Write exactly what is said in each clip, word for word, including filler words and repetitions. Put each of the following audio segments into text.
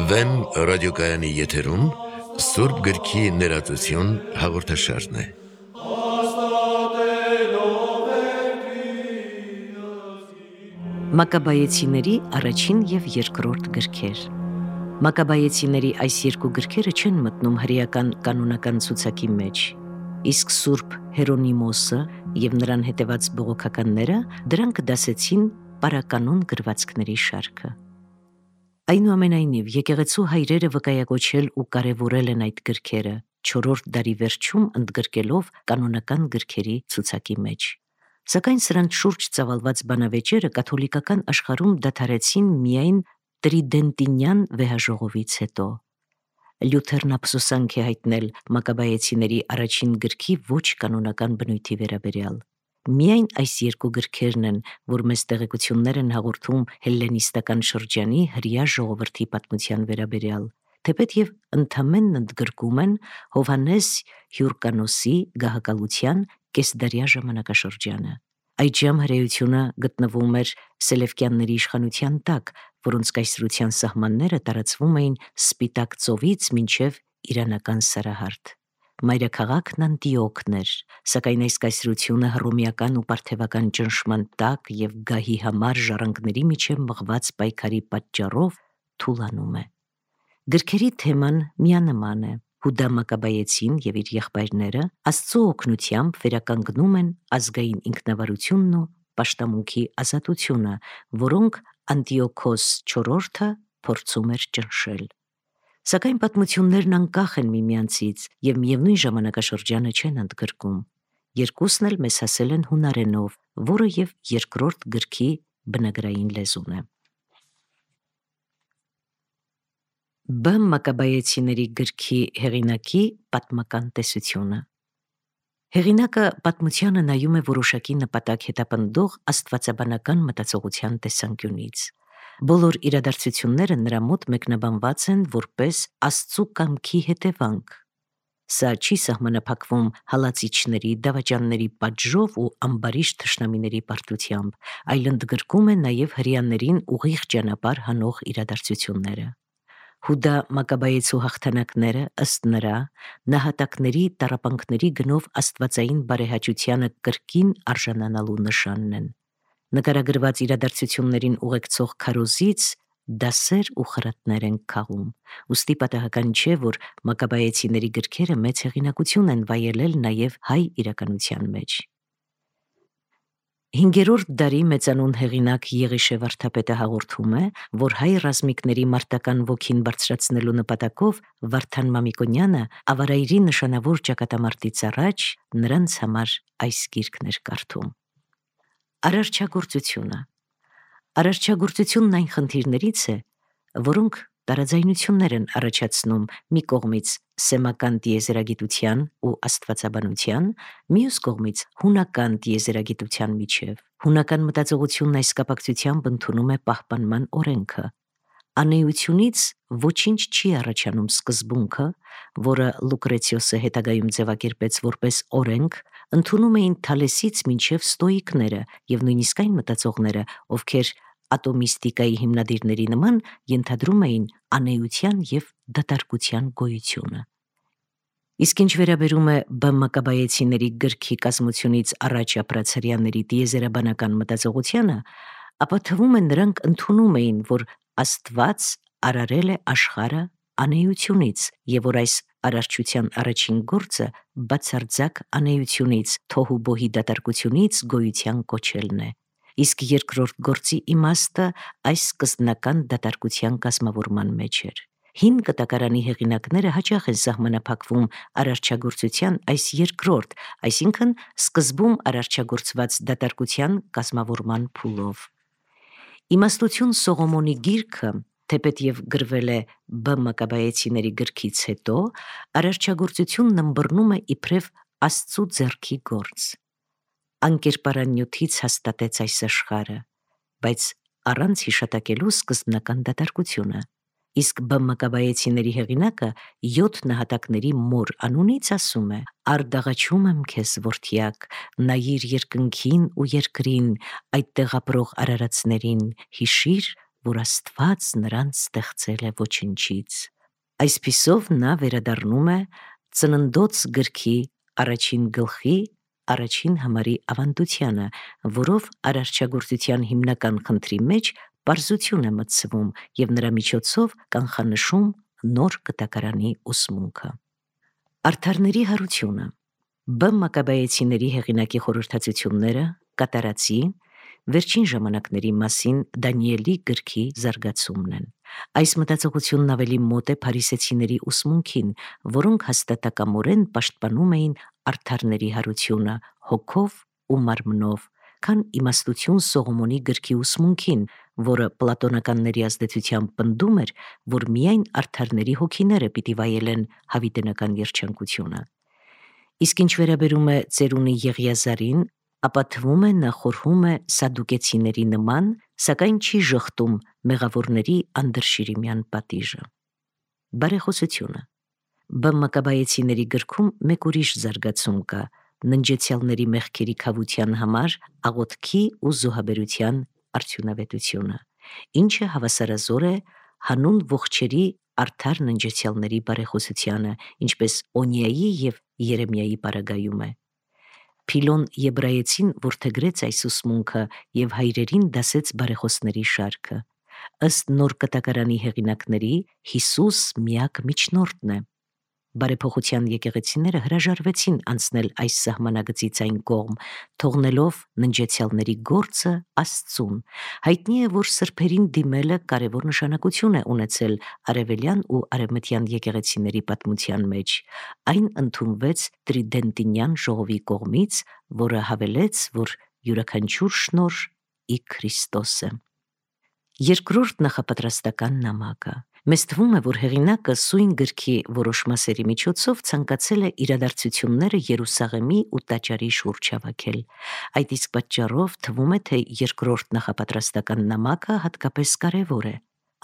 Վեմ ռադիոկայանի եթերում Սուրբ գրքի ներածություն հաղորդաշարն է։ Մակաբայեցիների առաջին և երկրորդ գրքեր։ Մակաբայեցիների այս երկու գրքերը չեն մտնում հրեական կանոնական ցուցակի մեջ, իսկ Սուրբ Հերոնիմոսը և նրան հետևած բողոքականները դրանք դասեցին պարականոն գրվածքների շարքը։ Այնուամենայնիվ, եկեղեցու հայրերը վկայակոչել ու կարևորել են այդ գրքերը, չորրորդ դարի վերջում ընդգրկելով կանոնական գրքերի ցուցակի մեջ։ Սակայն սրանց շուրջ ծավալված բանավեճերը կաթոլիկական աշխարհում դադարեցին միայն տրիդենտինյան վեհաժողովից հետո։ Լյութերն ափսոսանք է հայտնել Մակաբայեցիների առաջին գրքի ոչ կանոնական բնույթի վերաբերյալ։ Միայն այս երկու գրքերն են, որ մեզ տեղեկություններ են հաղորդում հելլենիստական շրջանի հրեա ժողովրդի պատմության վերաբերյալ, թեպետ և ընդամենն ընդգրկում են Հովհաննես Հյուրկանոսի գահակալության կեսդարյա ժամանակաշրջանը։ Այդժամ հրեությունը գտնվում էր Սելևկյանների իշխանության տակ, որոնց կայսրության սահմանները տարածվում էին Սպիտակ ծովից մինչև իրանական Սարահարթ։ Մայրաքաղաքն Անտիոքն էր, սակայն այս կայսրությունը հռոմեական ու պարթևական ճնշման տակ և գահի համար ժառանգների միջև մղված պայքարի պատճառով թուլանում է։ Գրքերի թեման միանման է։ Հուդա Մակաբայեցին և իր եղբայրները Աստծու օգնությամբ վերականգնում են ազգային ինքնավարությունն ու պաշտամունքի ազատությունը, որոնք Անտիոքոս չորրորդը փորձում էր ճնշել։ Սակայն պատմություններն անկախ են միմյանցից և միևնույն ժամանակաշրջանը չեն ընդգրկում։ Երկուսն էլ մեզ հասել են հունարենով, որը և երկրորդ գրքի բնագրային լեզուն է։ Բ Մակաբայեցիների գրքի հեղինակի պատմական տեսությունը։ Հեղինակը պատմությանը նայում է որոշակի նպատակ հետապնդող աստվածաբանական մտածողության տեսանկյունից։ Բոլոր իրադարձությունները նրա մոտ մեկնաբանված են որպես Աստծու կամքի հետևանք։ Սա չի սահմանափակվում հալածիչների, դավաճանների պատժով ու ամբարիշտ թշնամիների պարտությամբ, այլ ընդգրկում է նաև հրեաներին ուղիղ ճանապարհ հանող իրադարձությունները։ Հուդա Մակաբայեցու հաղթանակները, ըստ նրա, նահատակների տառապանքների գնով աստվածային բարեհաճությանը կրկին արժանանալու նշանն են։ Նկարագրված իրադարձություններին ուղեկցող քարոզից դասեր ու խրատներ են քաղում, ուստի պատահական չէ, որ Մակաբայեցիների գրքերը մեծ հեղինակություն են վայելել նաև հայ իրականության մեջ։ Հինգերորդ դարի մեծանուն հեղինակ Եղիշե վարդապետը հաղորդում է, որ հայ ռազմիկների մարտական ոգին բարձրացնելու նպատակով Վարդան Մամիկոնյանը ավարայրի նշանավոր ճակատամարտից առաջ նրանց համար այս գիրքն էր կարդում։ Արարչագործությունը։ Արարչագործությունն այն խնդիրներից է, որոնք տարաձայնություններ են առաջացնում մի կողմից սեմական տիեզերագիտության ու աստվածաբանության, մյուս կողմից հունական տիեզերագիտության միջև։ Հունական մտածողությունն այս կապակցությամբ ընդունում է պահպանման օրենքը։ Անեությունից ոչինչ չի առաջանում սկզբունքը, որը Լուկրեցիոսը հետագայում ձևակերպեց որպես օրենք, ընդունում էին Թալեսից մինչև ստոիկները և նույնիսկ այն մտածողները, ովքեր ատոմիստիկայի հիմնադիրների նման ենթադրում էին անեության և դատարկության գոյությունը։ Իսկ ինչ վերաբերում է Բ Մակաբայեցիների գրքի կազմությունից առաջ ապրած հրեաների տիեզերաբանական մտածողությանը, ապա թվում է նրանք ընդունում էին, որ Աստված արարել է աշխարհը անեությունից և որ այս արարչության առաջին գործը բացարձակ անեությունից, թոհուբոհի դատարկությունից գոյության կոչելն է, իսկ երկրորդ գործի իմաստը այս սկզբնական դատարկության կազմավորման մեջ էր։ Հին կտակարանի հեղինակները հաճախ են սահմանափակվում արարչագործության այս երկրորդ, այսինքն սկզբում արարչագործված դատարկության կազմավորման փուլով։ Իմաստություն Սողոմոնի գիրքը, թեպետ և գրվել է Բ Մակաբայեցիների գրքից հետո, արարչագործությունն ըմբռնում է իբրև Աստծու ձեռքի գործ։ Անկերպարանյութից հաստատեց այս աշխարհը, բայց առանց հիշատակելու սկզբնական դատարկությունը։ Իսկ Բ Մակաբայեցիների հեղինակը յոթ նահատակների մոր անունից ասում է. «Արդաղաչում եմ քեզ, որդյակ, նայիր երկնքին ու երկրին, այդտեղ ապրող արարածներին, հիշիր, որ Աստված նրանց ստեղծել է ոչնչից»։ Այսպիսով նա վերադառնում է Ծննդոց գրքի առաջին գլխի առաջին համարի ավանդությանը, որով արարչագործության հիմնական խնդրի մեջ պարզություն է մտցվում և նրա միջոցով կանխանշում նոր կտակարանի ուսմունքը։ Արդարների հարությունը Բ Մակաբայեցիների հեղինակի խորհրդածությունները կատարածի վերջին ժամանակների մասին Դանիելի գրքի զարգացումն են։ Այս մտածողությունն ավելի մոտ է փարիսեցիների ուսմունքին, որոնք հաստատակամորեն պաշտպանում էին արդարների հարությունը հոգով ու մարմնով, քան իմաստություն Սողոմոնի գրքի ուսմունքին, որը պլատոնականների ազդեցությամբ պնդում էր, որ միայն արդարների հոգիները պիտի վայելեն հավիտենական երջանկությունը։ Իսկ ինչ վերաբերում է ծերունի Եղիազարին, ապա թվում է նա խորհում է սադուկեցիների նման, սակայն չի ժխտում մեղավորների անդրշիրիմյան պատիժը։ Բարեխոսությունը Բ Մակաբայեցիների գրքում մեկ ուրիշ զարգացում կա՝ ննջեցյալների մեղքերի քավության համար աղոթքի ու զոհաբերության արդյունավետությունը, ինչը հավասարազոր է հանուն ողջերի արդար ննջեցյալների բարեխոսությանը, ինչպես Օնիայի և Երեմիայի պարագայում է։ Փիլոն Եբրայեցին որդեգրեց այս ուսմունքը և հայրերին դասեց բարեխոսների շարքը։ Ըստ նոր կտակարանի հեղինակների, Հիսուս միակ միջնորդն է։ Բարեփոխության եկեղեցիները հրաժարվեցին անցնել այս սահմանագծից այն կողմ, թողնելով ննջեցյալների գործը Աստծուն։ Հայտնի է, որ սրբերին դիմելը կարևոր նշանակություն է ունեցել արևելյան ու արևմտյան եկեղեցիների պատմության մեջ։ Այն ընդունվեց Տրիդենտինյան ժողովի կողմից, որը հավելեց, որ յուրաքանչյուր շնորհ ի Քրիստոս է։ Երկրորդ նախապատրաստական նամակը Մեզ թվում է, որ հեղինակը սույն գրքի որոշ մասերի միջոցով ցանկացել է իրադարձությունները Երուսաղեմի ու տաճարի շուրջ հավաքել։ Այդ իսկ պատճառով թվում է, թե երկրորդ նախապատրաստական նամակը հատկապես կարևոր է։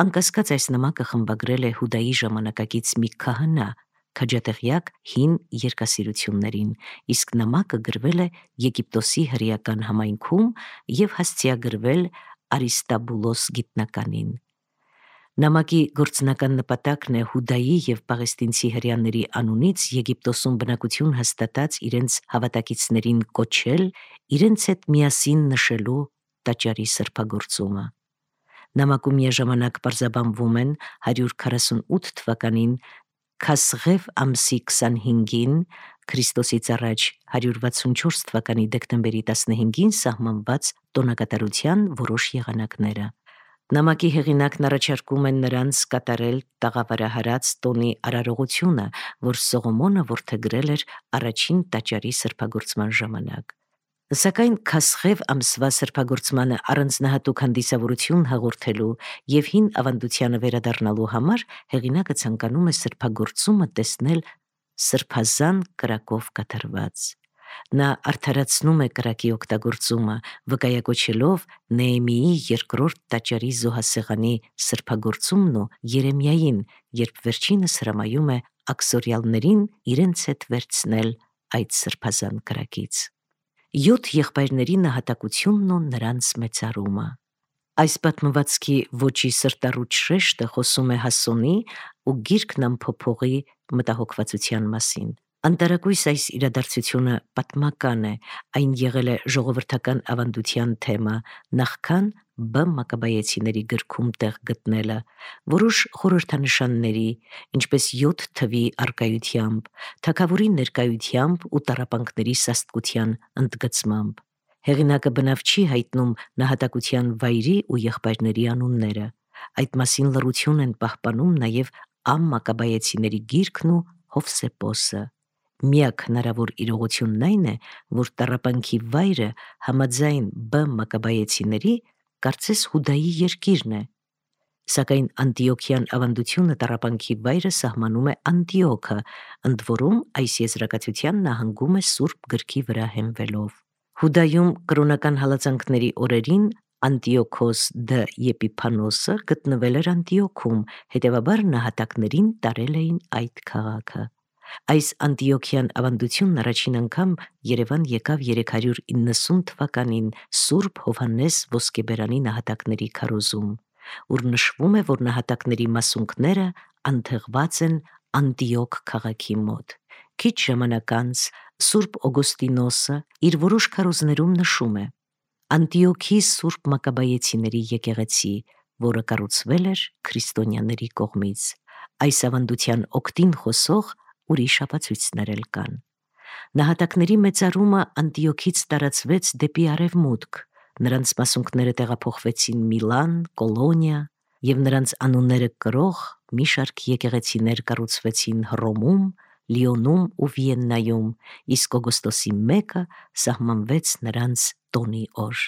Անկասկած այս նամակը խմբագրել է Հուդայի ժամանակակից մի քահանա, քաջատեղյակ հին երկասիրություններին, իսկ նամակը գրվել է Եգիպտոսի հրեական համայնքում և հասցեագրվել Արիստաբուլոս գիտնականին։ Նամակի գործնական նպատակն է Հուդայի և պաղեստինցի հրեաների անունից Եգիպտոսում բնակություն հաստատած իրենց հավատակիցներին կոչել իրենց հետ միասին նշելու տաճարի սրբագործումը։ Նամակում միաժամանակ պարզաբանվում են հարյուր քառասունութ թվականին Քասղև ամսի քսանհինգին Քրիստոսից առաջ հարյուր վաթսունչորս թվականի դեկտեմբերի տասնհինգին սահմանված տոնակատարության որոշ եղանակները։ Նամակի հեղինակն առաջարկում է նրանց կատարել տաղավարահարած տոնի արարողությունը, որ Սողոմոնը որդեգրել էր առաջին տաճարի սրբագործման ժամանակ։ Սակայն Քասղև ամսվա սրբագործմանը առանձնահատուկ հանդիսավորություն հաղորդելու և հին ավանդությանը վերադառնալու համար հեղինակը ցանկանում է սրբագործումը տեսնել սրբազան կրակով կատարված։ Նա արդարացնում է կրակի օգտագործումը, վկայակոչելով Նեեմիի երկրորդ տաճարի զոհասեղանի սրբագործումն ու Երեմիային, երբ վերջինս հրամայում է աքսորյալներին իրենց հետ վերցնել այդ սրբազան կրակից։ Յոթ եղբայրների նահատակությունն ու նրանց մեծարումը Այս պատմվածքի ոճի սրտառուչ շեշտը խոսում է Հասոնի ու գիրքն ամփոփողի մտահոգվածության մասին։ Անտարակույս այս իրադարձությունը պատմական է, այն եղել է ժողովրդական ավանդության թեմա, նախքան Բ Մակաբայեցիների գրքում տեղ գտնելը, որոշ խորհրդանշանների, ինչպես յոթ թվի առկայությամբ, թագավորի ներկայությամբ ու տառապանքների սաստկության ընդգծմամբ։ Հեղինակը բնավ չի հայտնում նահատակության վայրի ու եղբայրների անունները։ Այդ մասին լռություն են պահպանում նաև Ամ Մակաբայեցիների գիրքն ու Հովսեփոսը։ Միակ հնարավոր իրողությունն այն է, որ տառապանքի վայրը համաձայն Բ Մակաբայեցիների կարծես Հուդայի երկիրն է, սակայն Անտիոքյան ավանդությունը տառապանքի վայրը սահմանում է Անտիոքը, ընդ որում այս եզրակացության նահանգում է Սուրբ գրքի վրա հենվելով։ Հուդայում կրոնական հալածանքների օրերին Անտիոքոս դ Եպիփանոսը գտնվել էր Անտիոքում, հետևաբար նահատակներին տարել էին այդ քաղաքը։ Այս Անտիոքյան ավանդությունն առաջին անգամ Երևան եկավ երեք հարյուր իննսուն թվականին Սուրբ Հովհաննես Ոսկեբերանի նահատակների քարոզում, ուր նշվում է, որ նահատակների մասունքները անթեղված են Անտիոք քաղաքի մոտ։ Քիչ ժամանակ անց Սուրբ Օգոստինոսը իր որոշ քարոզներում նշում է. Անտիոքի Սուրբ Մակաբայեցիների եկեղեցի, որը կառուցվել էր քրիստոնյաների կողմից։ Այս ավանդության օգտին խոսող ուրիշ ապացույցներ էլ կան։ Նահատակների մեծարումը Անտիոքից տարածվեց դեպի արևմուտք, նրանց մասունքները տեղափոխվեցին Միլան, Կոլոնիա, եւ նրանց անունները կրող մի շարք եկեղեցիներ կառուցվեցին Հռոմում, Լիոնում ու Վիեննայում, իսկ օգոստոսի մեկը սահմանվեց նրանց տոնի օր։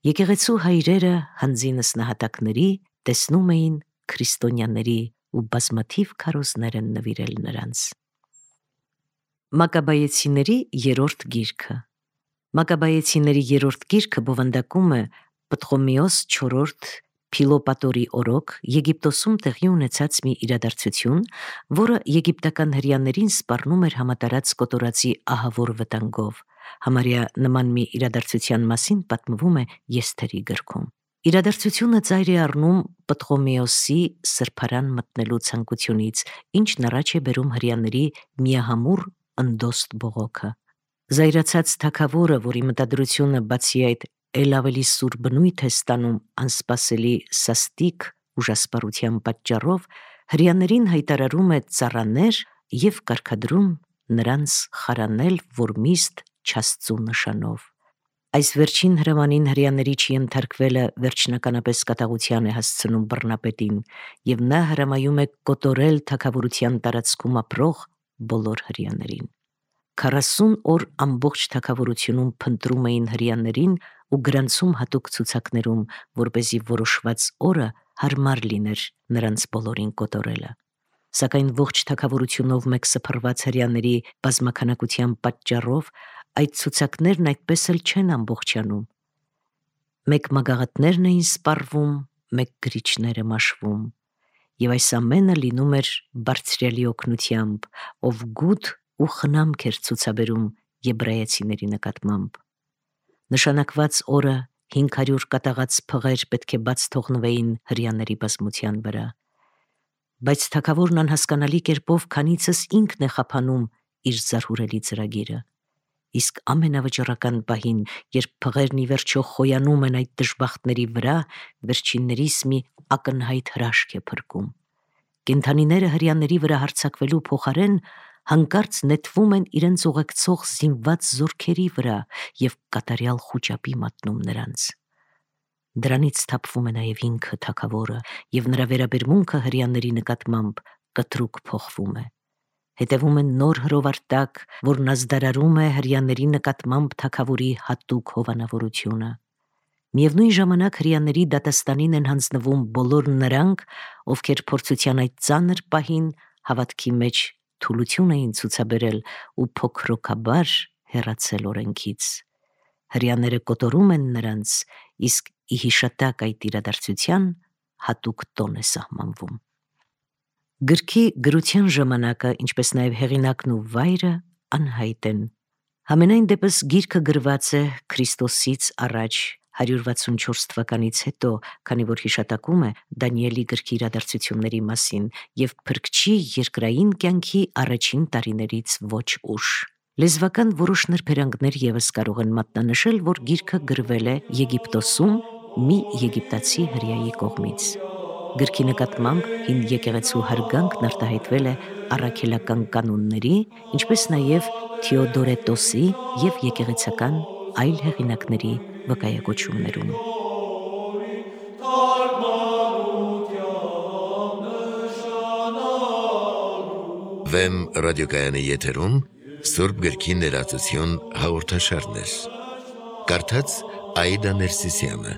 Եկեղեցու հայրերը հանձինս նահատակների տեսնում էին քրիստոնյաների ու բազմաթիվ քարոզներ են նվիրել նրանց։ Մակաբայեցիների երրորդ գիրքը Մակաբայեցիների երրորդ գիրքը բովանդակում է Պտղոմեոս չորրորդ Փիլոպատորի օրոք Եգիպտոսում տեղի ունեցած մի իրադարձություն, որը եգիպտական հրեաներին սպառնում էր համատարած կոտորածի ահավոր վտանգով։ Համարյա նման մի իրադարձության մասին պատմվում է Եսթերի գրքում։ Իրադարձությունը ծայր է առնում Պտղոմեոսի սրբարան մտնելու ցանկությունից, ինչն առաջ է բերում հրեաների միահամուռ ընդոստ բողոքը։ Զայրացած թագավորը, որի մտադրությունը բացի այդ էլ ավելի սուր բնույթ է ստանում անսպասելի սաստիկ ուժասպառության պատճառով, հրեաներին հայտարարում է ծառաներ եւ կարգադրում նրանց խարանել Որմիստ Չաստծու նշանով։ Այս վերջին հրամանին հրեաների չենթարկվելը վերջնականապես կատաղության է հասցնում բռնապետին, եւ նա հրամայում է կոտորել թագավորության տարածքում ապրող բոլոր հրեաներին։ Քառասուն օր ամբողջ թագավորությունում փնտրում էին հրեաներին ու գրանցում հատուկ ցուցակներում, որպեսզի որոշված օրը հարմար լիներ նրանց բոլորին կոտորելը։ Սակայն ողջ թագավորությունով մեկ սփռված հրեաների բազմաքանակության պատճառով այդ ցուցակներն այդպես էլ չեն ամբողջանում։ Մեկ մագաղատներն էին սպառվում, մեկ գրիչները մաշվում, եւ այս ամենը լինում էր Բարձրյալի օգնությամբ, ով գութ ու խնամք էր ցուցաբերում եբրայեցիների նկատմամբ։ Նշանակված օրը հինգ հարյուր կատաղած փղեր պետք է բաց թողնվեին հրեաների բազմության վրա։ Բայց թագավորն անհասկանալի կերպով քանիցս ինքն է խափանում իր զարհուրելի ծրագիրը։ Իսկ ամենավճռական պահին, երբ փղերն ի վերջո խոյանում են այդ դժբախտների վրա, վերջիններիս մի ակնհայտ հրաշք է փրկում։ Կենդանիները հրեաների վրա հարձակվելու փոխարեն հանկարծ նետվում են իրենց ուղեկցող զինված զորքերի վրա եւ կատարյալ խուճապի մատնում նրանց։ Դրանից թափվում է նաեւ ինքը թագավորը, եւ նրա վերաբերմունքը հրեաների նկատմամբ կտրուկ փոխվում է։ Հետևում է նոր հրովարտակ, որն ազդարարում է հրեաների նկատմամբ թագավորի հատուկ հովանավորությունը։ Միևնույն ժամանակ հրեաների դատաստանին են հանձնվում բոլոր նրանք, ովքեր փորձության այդ ծանր պահին հավատքի մեջ թուլություն էին ցուցաբերել ու փոքրոքաբար հեռացել օրենքից։ Հրեաները կոտորում են նրանց, իսկ ի հիշատակ այդ իրադարձության հատուկ տոն է սահմանվում։ Գրքի գրության ժամանակը, ինչպես նաև հեղինակն ու վայրը անհայտ են։ Համենայն դեպս գիրքը գրված է Քրիստոսից առաջ հարյուր վաթսունչորս թվականից հետո, քանի որ հիշատակում է Դանիելի գրքի իրադարձությունների մասին եւ Փրկչի երկրային կյանքի առաջին տարիներից ոչ ուշ։ Լեզվական որոշ նրբերանգներ եւս կարող են մատնանշել, որ գիրքը գրվել է Եգիպտոսում մի եգիպտացի հրեայի կողմից։ Գրքի նկատմամբ հին եկեղեցու հարգանքն արտահայտվել է առաքելական կանոնների, ինչպես նաև Թեոդորետոսի եւ եկեղեցական այլ հեղինակների վկայակոչումներում։ Վեմ ռադիոկայանի եթերում Սուրբ գրքի ներածություն հաղորդաշարներ։ Կարդաց Աիդա Ներսիսյանը։